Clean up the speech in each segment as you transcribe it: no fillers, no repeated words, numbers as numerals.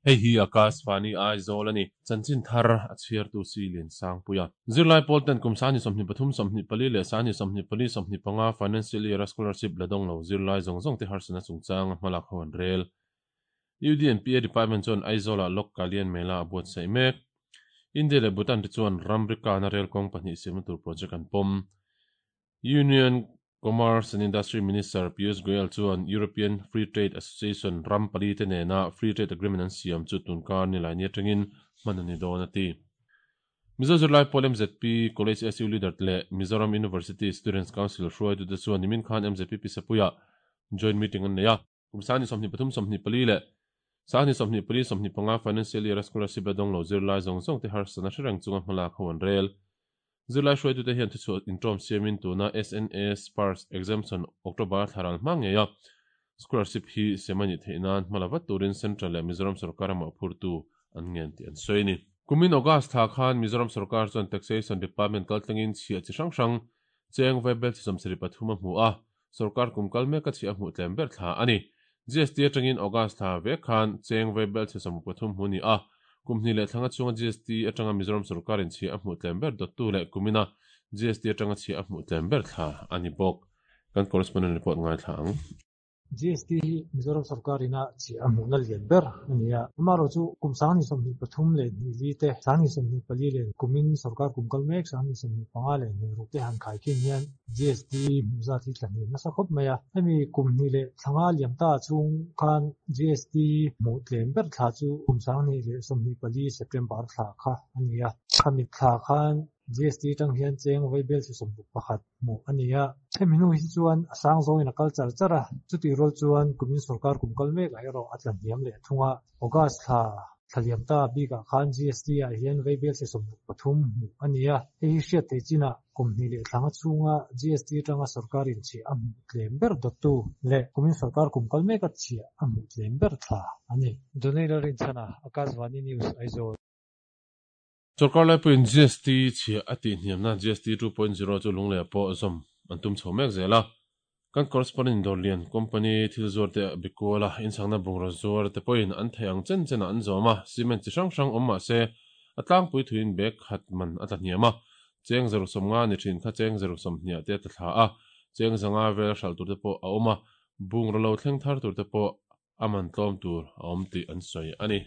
Hei hi Akashvani Aizawl a ni. Chanchin thar a chhiartu si Liansangpuia. Zirlai pawl ten kum sangni 23 24 leh sangni 24 25 financial year a scholarship la dawng lo zirlai zawng zawng te harsatna chungchang a hmalak ho an rel. UDNPA Department chuan Aizawl-ah Lok Kalyan Mela a buatsaih mek. India leh Bhutan te chuan ramri kana rel kawng pahnih siamna tur project an pawm. Union Commerce and Industry Minister Piyush Goyal chuan European Free Trade Association ram pali te nena Free Trade Agreement an siam chu tunkar Nilaini atangin hman a ni dawn a ti. Mizo zirlai pawl mzp College SU Leader leh Mizoram University Students Council hruaitute chuan nimin khan mzp Pisapuiah joint meeting an nei a. Kum 23 24 leh 24 25 financial year a scholarship la dawng lo zirlai zawng zawng te harsatna hre reng chunga hmalak ho an rel. Zirlai hruaitute hian thuchhuah intawm siamin tuna SNA Sparse Exemption October thla ral hma ngei a scholarship hi siam a nih theih nan hma la vat turin Central leh Mizoram sorkar a mawhphurtu an ngen tih an sawi a ni. Kumin August thla khan Mizoram sorkar chuan Taxation Department kaltlangin chhiah chi hrang hrang cheng vaibel chi 73 a hmu a, sorkar kum kal mek a chhiah a hmuh tlem ber thla a ni. GST atangin August thla vek khan cheng vaibel chhe 13 hmu ni a, kum hnih leh thlanga chhunga GST atanga Mizoram sorkarin chhiah a hmuh tlem ber dawttu leh kumina GST atanga chhiah a hmuh tlem ber thla a ni bawk. Kan correspondent report ngaithla ang. GST hi Mizoram sorkarin a chhiah a hmuhna lian ber a ni a. Amaherawhchu kum 2023 leh hnih li te, 2024 leh kumin sorkar kum kal mek 2025 leh hnih ruk te han khaikhin hian GST hmuh zat hi tla hniam nasa khawp mai a. Hemi kum hnih leh thla nga liam ta chhung khan GST hmuh tlem ber thla chu kum 2024 September thla kha a ni a. Khami thla khan GST atang hian cheng vaibel chi 61 hmuh a ni a. Hemi hnu hi chuan a sang zawngin a kal char char a, chutih rual chuan kumin sorkar kum kal mek ah erawh a tla hniam leh thung a. August thla thla liam ta bikah khan GST ah hian vaibel chi 63 hmuh a ni a. Hei hi hriat theih chinah kum hnih leh thla nga chhunga GST atanga sorkar in chhiah a hmuh tlem ber dawttu leh kumin sorkar kum kal mek a chhiah a hmuh tlem ber thla a ni. Donald Rinchhana, Akashvani News, Aizawl. Sorkar laipuiin GST chhiah a tih hniamna GST 2.0 chu Lungleia pawh zawm an tum chho mek zel a. Kan correspondent Dawrlian company thil zuar te a bikual a, inchhangna bungraw zuar te pawhin an theih ang chen chenah an zawm a, cement chi hrang hrang awm mah se a tlangpui thuin bag khat man a tla hniam a, cheng zaruk sawmnga ni thin kha cheng zaruk sawmhniah te a tla thla a, cheng zanga vel hralh tur te pawh a awm a, bungraw lo thleng thar tur te pawh a man tlawm tur a awm tih an sawi a ni.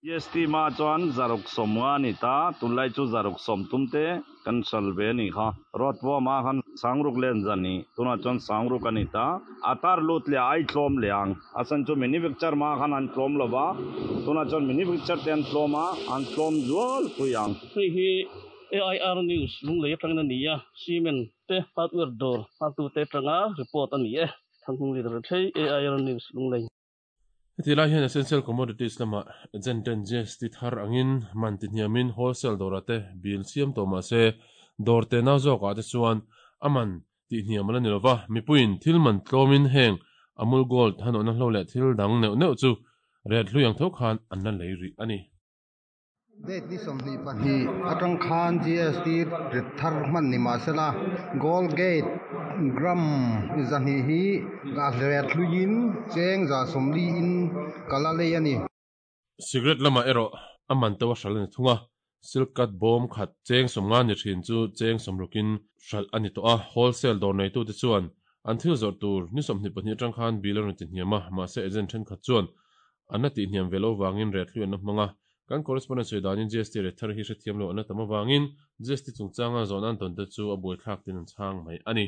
GST hma chuan zaruk sawmnga a ni ta, tunlai chu zaruk sawm tum te kan hral ve a nih kha. Road pawh khan sangruk len zan ni, tunah chuan sangruk a ni ta. A tar lut leh a ai tlawm leh ang, a chhan chu manufacture hma khan an tlawm lo va, tunah chuan manufacture te an tlawm a, an tlawm zual pui ang. Hei hi AIR News Lunglei atangin a ni a, cement te hardware dawr nghaktute atanga report a ni e. Thanghung Leader Thlei, AIR News Lunglei. Heti lai hian essential commodities lamah agent ten GST thar angin man ti hniamin wholesale dawrah te bill siam tawh mah se dawr te nau zawkah te chuan a man tih hniam a la ni lova, mipuiin thil man tlawmin heng Amul Gold hanawhna hlo leh thil dang neuh neuh chu ret hlui ang tho khan an la lei rih a ni. Date ni 22 atang khan GST rit thar hman ni mah sela Gold Gate gram 200 hi a ret hluiin cheng 140 in kal a lei a ni. Cigarette lamah erawh a man to a hralh a ni thung a, silk cut bawm khat cheng 50 ni thin chu cheng 60 in hralh a ni tawh a, wholesale dawr neitute chuan an thil zawrh tur ni 22 atang khan bill a rawn ti hniam a, mahse agent thenkhat chuan an la tihhniam ve lo vangin ret hlui an la hmang a, kan correspondent sawi danin GST ret thar hi hrethiam lo an la tam avangin GST chungchanga zawhna an tawn te chu a buaithlak tin an chhang mai a ni.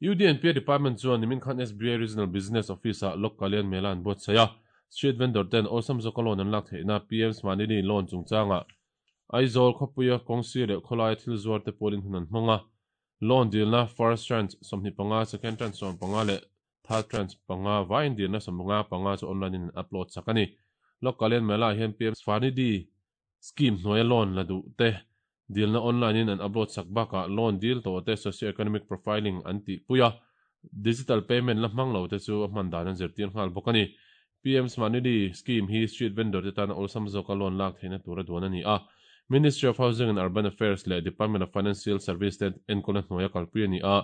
UDNPA Department chuan nimin khan SBI Regional Business Office-ah Lok Kalyan Mela an buatsaih a, street vendor ten awlsam zawka loan an lak theihna PM Smanidhi loan chungchangah Aizawl khawpuia kawngsir leh khawlaia thil zuar te pawlin hun an hmang a, loan dilna first tranche 25, second tranche 15 leh Third tranche panga vaiin dilna 55 chu online in an upload sak a ni. Lok Kalyan Mela ah hian PM Svanidhi scheme hnuaia loan la duh te dilna online in an upload sak bakah loan dil tawh te socio-economic profiling an tih pui a, digital payment la hmang lo te chu a hman dan an zirtir nghal bawk a ni. PM Svanidhi scheme hi street vendor te tana awlsam zawka loan lak theihna tura duan a ni a. Ministry of Housing and Urban Affairs leh Department of Financial Service te enkawlna hnuaia kalpui a ni a.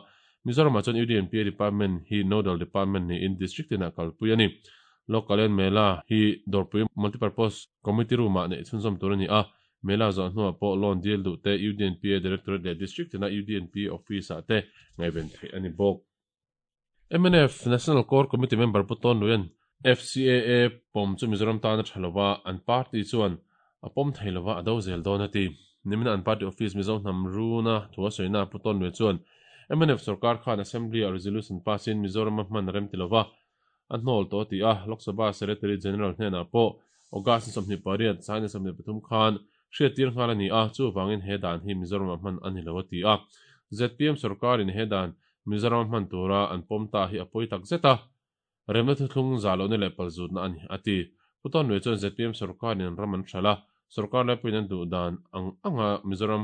Mizoramah chuan UDNPA Department hi Nodal Department niin District tinah kalpui a ni. Lok Kalyan Mela hi Dawrpui Multipurpose Committee Room-ah neih chhunzawm tur a ni a, Mela zawh hnuah pawh loan dil duh te UDNPA Directorate leh District tina UDNP Office-ah te ngaihven theih a ni bawk. Mnf National Core Committee member Pu Tawn Luian FCAA pawm chu Mizoram tan a tha lova, an party chuan a pawm thei lova a do zel dawn a ti. Nimina an party office Mizo hnam runa thu a sawina Pu Tawn Luia chuan mnf sorkar khan Assembly-ah resolution pass-in Mizorama hman a rem ti lova, a hnawl tawh a ti a, Lok Sabha Secretary General hnenah pawh August ni 28, China 23 khan hriattir nghal a ni a, chuvangin he dan hi Mizoramah hman a ni lo a ti a. Zpm sorkarin he dan Mizoram hman tura an pawm ta hi a pawi tak zet a, remna thuthlung zah lohna leh palzutna a ni, a ti. Pu Tawnluai chuan zpm sorkarin an ram an hralh a, sorkar laipuiin an duh dan ang anga Mizoram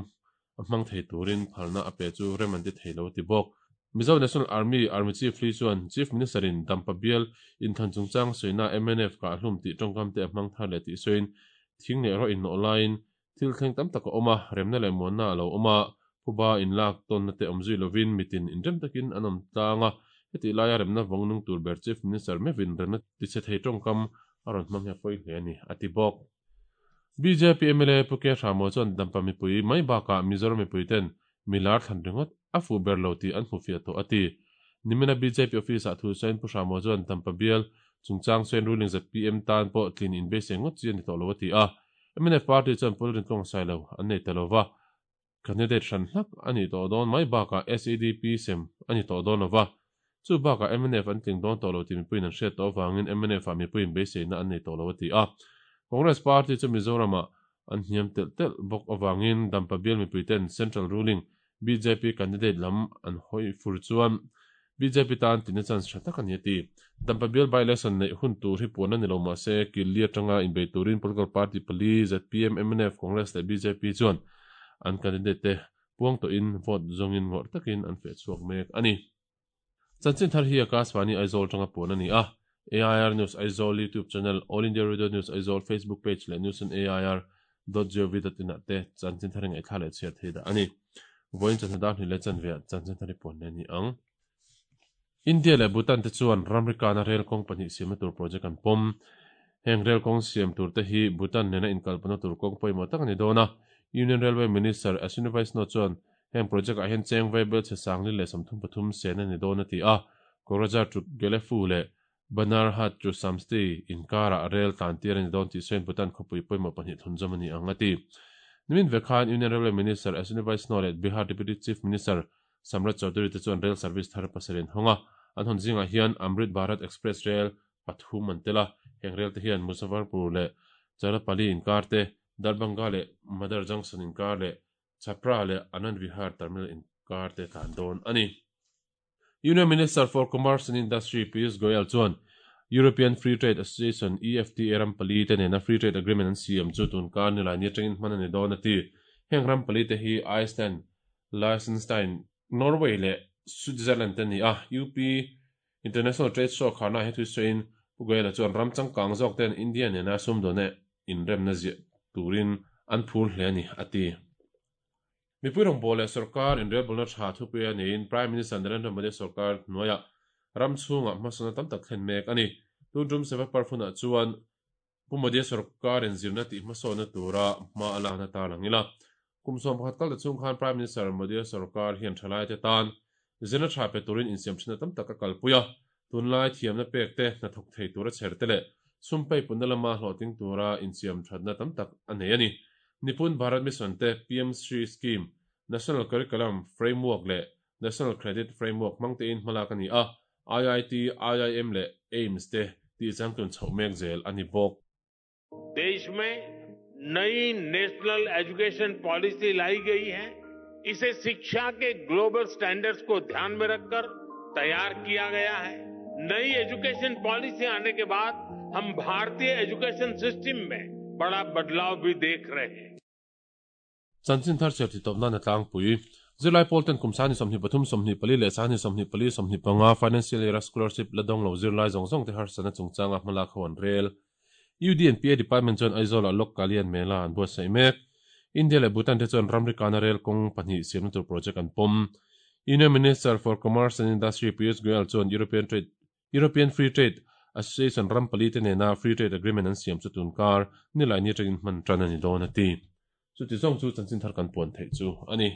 a hmang thei turin phalna a pe chu rem an ti thei lo a ti bawk. Mizo National Army Army Chief Lee chuan Chief Minister in Dampa bial inthlan chungchang sawina mnf kah hlum tih tawngkam te a hmang thar leh tih sawiin thing leh rawh innawh laiin Thil thleng tam tak a awm a, remna leh muanna a lo awm a, phuba inlak tawnna te awm zui lovin mitin inrem takin an awm tlang a, hetih laia remna vawng nung tur ber Chief Minister meuhin remna tichhe thei tawngkam a rawn hmang hi a pawi hle a ni, a ti bawk. Bjp mla Pu K Hramo chuan Dampa mipui mai bakah Mizoram mipui ten mi lar thlan ringawt a fuh ber lo tih an hmu fiah tawh a ti. Nimina bjp office ah thu sawiin Pu Hramo chuan Dampa bial chungchang sawiin ruling zpm tan pawh tlin inbeisei ngawt chi a ni tawh lo a ti a. Mnf party chuan Pul Rintlawng Sailo an nei ta lova, candidate hran hlak a nih tawh dawn mai bakah SEDP sem a ni tawh dawn lova, chu bakah mnf an tling dawn tawh lo tih mipuiin an hriat tawh avangin mnf ah mipuiin beiseina an nei tawh lo a ti a. Congress party chu Mizoramah an hniam telh telh bawk avangin Dampa bial mipuiten Central ruling Bjp candidate lam an hawi fur chuan bjp tan tina chance tha tak a ni a ti. Dampa bial by-election neih hun tur hi puan a ni lo mahse Killi atanga inbei turin political party pali zpm, mnf, Congress leh bjp chuan an candidate te puang tawhin vote zawngin ngawrh takin an feh chhuak mek a ni. Chanchin thar hi Akashvani Aizawl atanga puan a ni a, AIR News Aizawl YouTube channel, All India Radio News Aizawl Facebook page leh News on AIR dot gov dot in ah te chanchin thar hi ngaihthla leh chhiar thei dah a ni. Vawiin chawhnu dar hnih leh chanve ah chanchin thar hi puan leh a ni ang. India leh Bhutan te chuan ramri kana rel kawng pahnih siamna tur project an pawm. Heng rel kawng siam tur te hi Bhutan nena inkalpawhna tur kawng pawimawh tak a ni dawn a, Union Railway Minister Ashwini Vaishnaw chuan Heng project ah hian cheng vaibel chhe sangli leh 33 sen a ni dawn a ti a, Kokrajhar to Gelephu leh Banarhat to Samsti inkarah rel tlan tir a ni dawn tih sawiin Bhutan khawpui pawimawh pahnih thlunzawm a ni ang a ti. Nimin ve khan Union Railway Minister Ashwini Vaishnaw leh Bihar Deputy Chief Minister Samrat Chaudhary te chuan rail service thar pasarih an hawng a, an hawn zingah hian Amrit Bharat Express rel pathum an tel a, heng rel te hian Muzaffarpur leh Charapali inkar te, Darbhanga leh Madar Junction inkar leh Chhapra leh Anand Vihar terminal inkar te tlan dawn a ni. Union Minister for Commerce and Industry Piyush Goyal chuan European Free Trade Association, EFTA, ram pali te nena Free Trade Agreement an siam chu tunkar nilai ni atangin hman a ni dawn a ti. Heng ram pali te hi Iceland, Liechtenstein, Norway leh Switzerland te a ni a. UP International Trade Show kharna ah he thu sawiin Pu Goyal-a chuan ram changkang zawk ten India nena sumdawna inremna ziah turin an phur hle a ni, a ti. Mipui rawngbâwl leh sorkar inrelbawlna tha thupui a niin Prime Minister Narendra Modi sorkar hnuaiah ram chhungah hmasawnna tam tak thlen mek a ni. Tun tum Seva Parv hunah chuan Pu Modi sorkarin zirna tih hmasawnna tura hma a lakna tar lang ila. Kum 11 kal ta chhung khan Prime Minister Modi sorkar hian thalaite tan zirna tha pe turin insiam thinna tam tak a kalpui a. Tunlai thiamna pek te, hnathawk thei tura chher te leh sum peipunna lama hlawhtling tura insiam thatna tam tak a nei a ni. Nipun Bharat Mission te, PM Shri Scheme, National Curriculum Framework leh National Credit Framework hmang tein hmalak a ni a, IIT, IIM leh AIIMS te tih changtlun chhoh mek zel a ni bawk. देश में नई national education policy लाई गई है इसे शिक्षा के global standards को ध्यान में रखकर तैयार किया गया है नई एजुकेशन पॉलिसी आने के बाद हम भारतीय एजुकेशन सिस्टम में बड़ा बदलाव भी देख रहे हैं Chanchin thar chhiar titawp nan a tlangpui. Zirlai pawl ten kum 2023, 24 leh 2024, 25 Financial Year-a Scholarship la dawng lo zirlai zawng zawng te harsatna chungchanga hmalak ho an rel. UDNPA Department chuan Aizawl-ah Lok Kalyan Mela an buatsaih mek. India leh Bhutan te chuan ramri kana rel kawng pahnih siamna tur project an pawm. Union Minister for Commerce and Industry Piyush Goyal chuan European Trade European Free Trade Association ram palite nena Free Trade Agreement an siam chu tunkar Nilaini atangin hman tan a ni dawn a ti. Chuti zawng chu chanchin thar kan puan theih chu a ni.